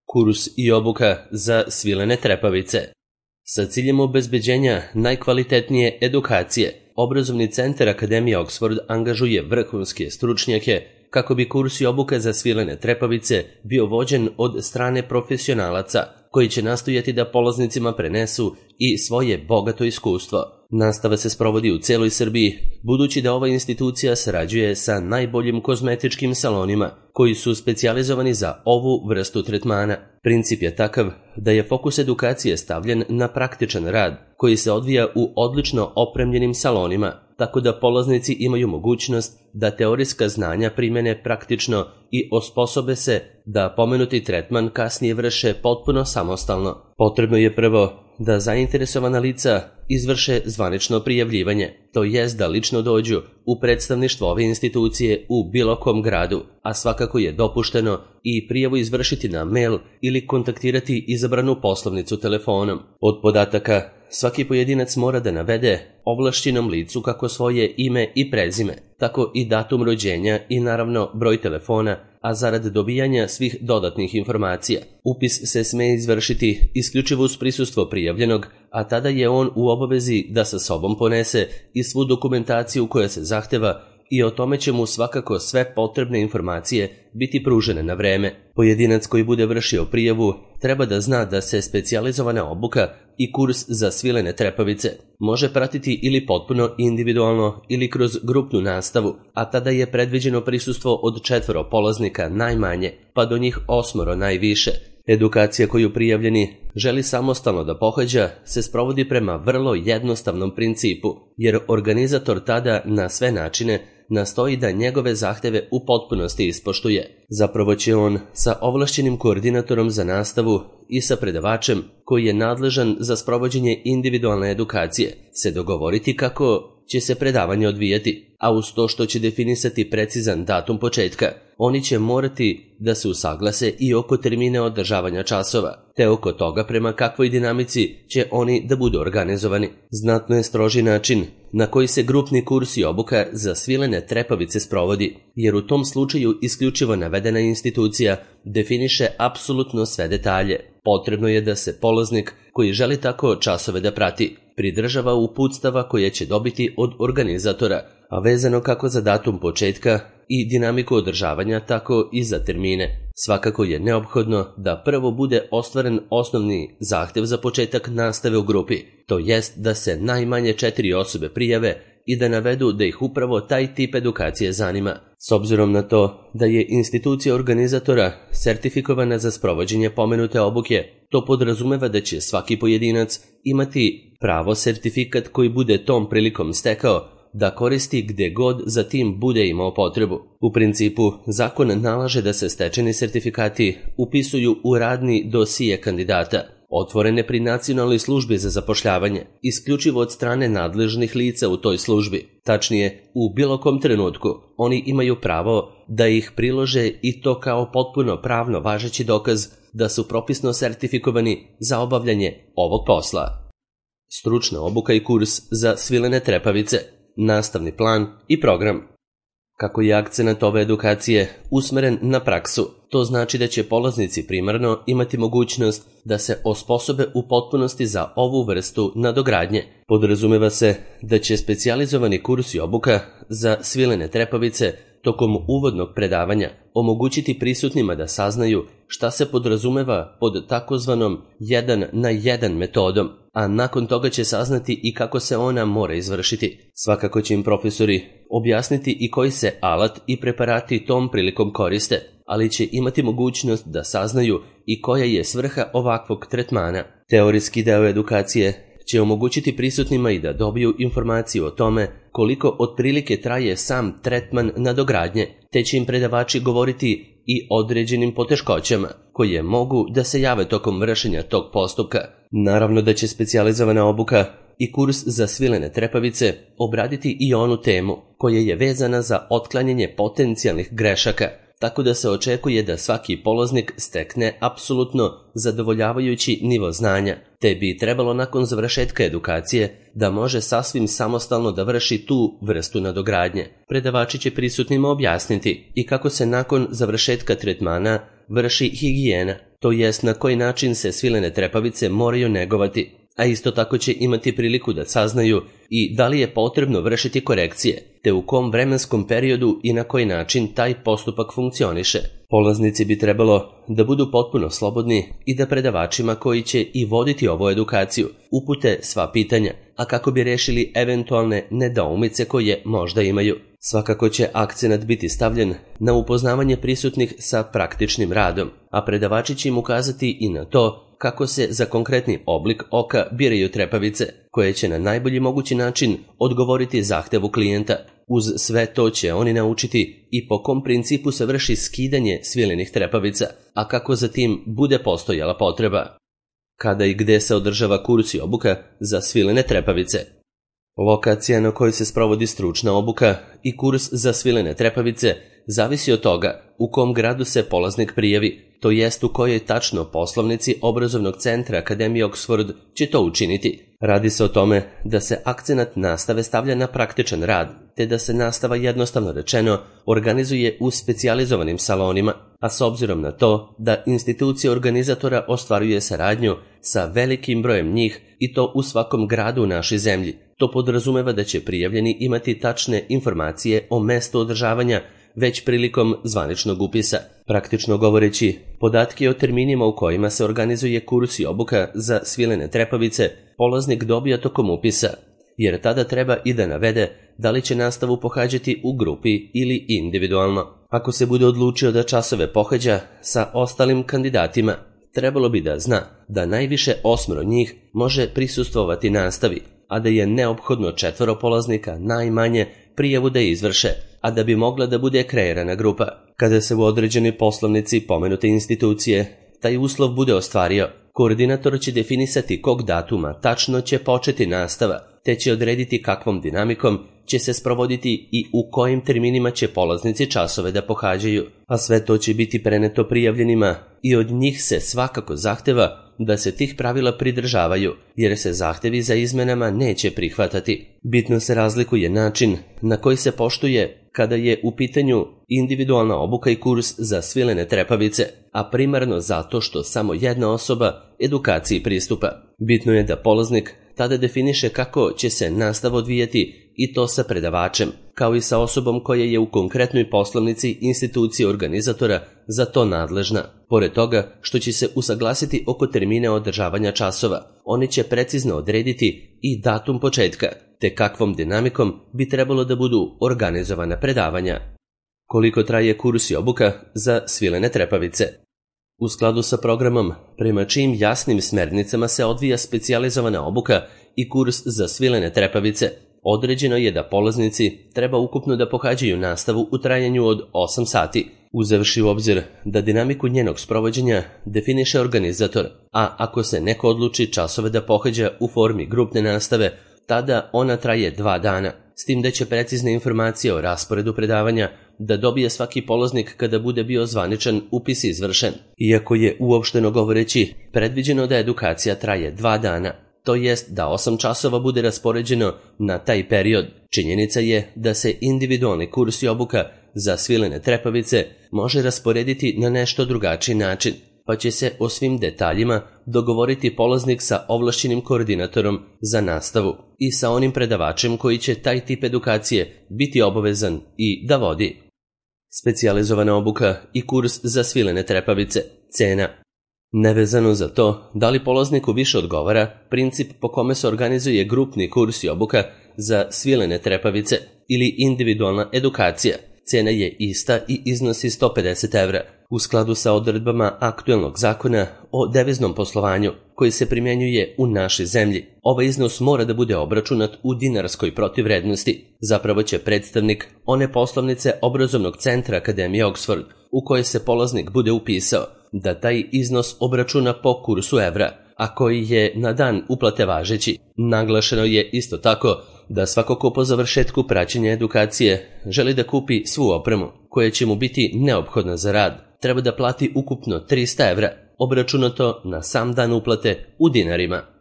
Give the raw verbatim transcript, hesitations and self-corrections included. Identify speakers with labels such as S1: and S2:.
S1: Kurs i obuka za svilene trepavice. Sa ciljem obezbeđenja najkvalitetnije edukacije, Obrazovni centar Akademije Oxford angažuje vrhunske stručnjake kako bi kurs i obuka za svilene trepavice bio vođen od strane profesionalaca koji će nastojati da polaznicima prenesu i svoje bogato iskustvo. Nastava se sprovodi u celoj Srbiji, budući da ova institucija sarađuje sa najboljim kozmetičkim salonima koji su specijalizovani za ovu vrstu tretmana. Princip je takav da je fokus edukacije stavljen na praktičan rad koji se odvija u odlično opremljenim salonima, tako da polaznici imaju mogućnost da teorijska znanja primene praktično i osposobe se da pomenuti tretman kasnije vrše potpuno samostalno. Potrebno je prvo da zainteresovana lica izvrše zvanično prijavljivanje, to jest da lično dođu u predstavništvo ove institucije u bilo kom gradu, a svakako je dopušteno i prijavu izvršiti na mail ili kontaktirati izabranu poslovnicu telefonom. Od podataka svaki pojedinac mora da navede ovlašćenom licu kako svoje ime i prezime, tako i datum rođenja i naravno broj telefona, a zarad dobijanja svih dodatnih informacija. Upis se sme izvršiti isključivo uz prisustvo prijavljenog, a tada je on u obavezi da sa sobom ponese i svu dokumentaciju koja se zahteva i o tome će mu svakako sve potrebne informacije biti pružene na vreme. Pojedinac koji bude vršio prijavu treba da zna da se specijalizovana obuka i kurs za svilene trepavice može pratiti ili potpuno individualno ili kroz grupnu nastavu, a tada je predviđeno prisustvo od četvoro polaznika najmanje, pa do njih osmoro najviše. Edukacija koju prijavljeni želi samostalno da pohađa se sprovodi prema vrlo jednostavnom principu, jer organizator tada na sve načine nastoji da njegove zahteve u potpunosti ispoštuje. Zapravo će on sa ovlašćenim koordinatorom za nastavu i sa predavačem koji je nadležan za sprovođenje individualne edukacije se dogovoriti kako će se predavanje odvijati, a uz to što će definisati precizan datum početka, oni će morati da se usaglase i oko termine održavanja časova, te oko toga prema kakvoj dinamici će oni da budu organizovani. Znatno je stroži način na koji se grupni kurs i obuka za svilene trepavice sprovodi, jer u tom slučaju isključivo navedena institucija definiše apsolutno sve detalje. Potrebno je da se polaznik koji želi tako časove da prati pridržava uputstava koje će dobiti od organizatora, a vezano kako za datum početka i dinamiku održavanja, tako i za termine. Svakako je neophodno da prvo bude ostvaren osnovni zahtev za početak nastave u grupi, to jest da se najmanje četiri osobe prijave i da navedu da ih upravo taj tip edukacije zanima. S obzirom na to da je institucija organizatora sertifikovana za sprovođenje pomenute obuke, to podrazumeva da će svaki pojedinac imati pravo sertifikat koji bude tom prilikom stekao da koristi gde god za tim bude imao potrebu. U principu, zakon nalaže da se stečeni sertifikati upisuju u radni dosije kandidata, otvorene pri Nacionalnoj službi za zapošljavanje, isključivo od strane nadležnih lica u toj službi. Tačnije, u bilo kom trenutku oni imaju pravo da ih prilože i to kao potpuno pravno važeći dokaz da su propisno sertifikovani za obavljanje ovog posla. Stručna obuka i kurs za svilene trepavice, nastavni plan i program. Kako je akcenat ove edukacije usmeren na praksu, to znači da će polaznici primarno imati mogućnost da se osposobe u potpunosti za ovu vrstu nadogradnje. Podrazumeva se da će specijalizovani kurs i obuka za svilene trepavice tokom uvodnog predavanja omogućiti prisutnima da saznaju šta se podrazumeva pod takozvanom jedan na jedan metodom, a nakon toga će saznati i kako se ona mora izvršiti. Svakako će im profesori objasniti i koji se alat i preparati tom prilikom koriste, ali će imati mogućnost da saznaju i koja je svrha ovakvog tretmana. Teorijski deo edukacije će omogućiti prisutnima i da dobiju informaciju o tome koliko otprilike traje sam tretman nadogradnje, te će im predavači govoriti i određenim poteškoćama koje mogu da se jave tokom vršenja tog postupka. Naravno da će specijalizovana obuka i kurs za svilene trepavice obraditi i onu temu koja je vezana za otklanjanje potencijalnih grešaka tako da se očekuje da svaki polaznik stekne apsolutno zadovoljavajući nivo znanja, te bi trebalo nakon završetka edukacije da može sasvim samostalno da vrši tu vrstu nadogradnje. Predavači će prisutnima objasniti i kako se nakon završetka tretmana vrši higijena, to jest na koji način se svilene trepavice moraju negovati, a isto tako će imati priliku da saznaju i da li je potrebno vršiti korekcije, te u kom vremenskom periodu i na koji način taj postupak funkcioniše. Polaznici bi trebalo da budu potpuno slobodni i da predavačima koji će i voditi ovu edukaciju upute sva pitanja, a kako bi rešili eventualne nedoumice koje možda imaju. Svakako će akcenat biti stavljen na upoznavanje prisutnih sa praktičnim radom, a predavači će im ukazati i na to kako se za konkretni oblik oka biraju trepavice, koje će na najbolji mogući način odgovoriti zahtevu klijenta. Uz sve to će oni naučiti i po kom principu se vrši skidanje svilenih trepavica, a kako za tim bude postojala potreba. Kada i gde se održava kurs i obuka za svilene trepavice? Lokacija na kojoj se sprovodi stručna obuka i kurs za svilene trepavice zavisi od toga u kom gradu se polaznik prijavi, to jest u kojoj tačno poslovnici obrazovnog centra Akademije Oxford će to učiniti. Radi se o tome da se akcenat nastave stavlja na praktičan rad, te da se nastava jednostavno rečeno organizuje u specijalizovanim salonima, a s obzirom na to da institucija organizatora ostvaruje saradnju sa velikim brojem njih i to u svakom gradu u našoj zemlji, to podrazumeva da će prijavljeni imati tačne informacije o mestu održavanja već prilikom zvaničnog upisa. Praktično govoreći, podatke o terminima u kojima se organizuje kurs i obuka za svilene trepavice polaznik dobija tokom upisa, jer tada treba i da navede da li će nastavu pohađati u grupi ili individualno. Ako se bude odlučio da časove pohađa sa ostalim kandidatima, trebalo bi da zna da najviše osmoro njih može prisustvovati nastavi, a da je neophodno četvoro polaznika najmanje prijavu da izvrše, a da bi mogla da bude kreirana grupa. Kada se u određenoj poslovnici pomenute institucije taj uslov bude ostvario, koordinator će definisati kog datuma tačno će početi nastava, te će odrediti kakvom dinamikom će se sprovoditi i u kojim terminima će polaznici časove da pohađaju, a sve to će biti preneto prijavljenima i od njih se svakako zahteva da se tih pravila pridržavaju, jer se zahtevi za izmenama neće prihvatati. Bitno se razlikuje način na koji se poštuje kada je u pitanju individualna obuka i kurs za svilene trepavice, a primarno zato što samo jedna osoba edukaciji pristupa. Bitno je da polaznik tada definiše kako će se nastava odvijati i to sa predavačem, kao i sa osobom koja je u konkretnoj poslovnici institucije organizatora za to nadležna. Pored toga što će se usaglasiti oko termina održavanja časova, oni će precizno odrediti i datum početka, te kakvom dinamikom bi trebalo da budu organizovana predavanja. Koliko traje kurs i obuka za svilene trepavice? U skladu sa programom, prema čijim jasnim smernicama se odvija specijalizovana obuka i kurs za svilene trepavice, određeno je da polaznici treba ukupno da pohađaju nastavu u trajanju od osam sati, uzevši u obzir da dinamiku njenog sprovođenja definiše organizator, a ako se neko odluči časove da pohađa u formi grupne nastave, tada ona traje dva dana, s tim da će precizne informacije o rasporedu predavanja da dobije svaki polaznik kada bude bio zvaničan upis izvršen. Iako je uopšteno govoreći predviđeno da edukacija traje dva dana, to jest da osam časova bude raspoređeno na taj period, činjenica je da se individualni kurs i obuka za svilene trepavice može rasporediti na nešto drugačiji način, pa će se o svim detaljima dogovoriti polaznik sa ovlašćenim koordinatorom za nastavu i sa onim predavačem koji će taj tip edukacije biti obavezan i da vodi. Specijalizovana obuka i kurs za svilene trepavice. Cena. Nevezano za to da li polazniku više odgovara princip po kome se organizuje grupni kurs i obuka za svilene trepavice ili individualna edukacija, cena je ista i iznosi sto pedeset evra, u skladu sa odredbama aktuelnog zakona o deviznom poslovanju koji se primjenjuje u našoj zemlji. Ovaj iznos mora da bude obračunat u dinarskoj protivvrednosti. Zapravo će predstavnik one poslovnice obrazovnog centra Akademije Oxford u kojoj se polaznik bude upisao da taj iznos obračuna po kursu evra, a koji je na dan uplate važeći. Naglašeno je isto tako da svako ko po završetku praćenja edukacije želi da kupi svu opremu koja će mu biti neophodna za rad, treba da plati ukupno trista evra, obračunato na sam dan uplate u dinarima.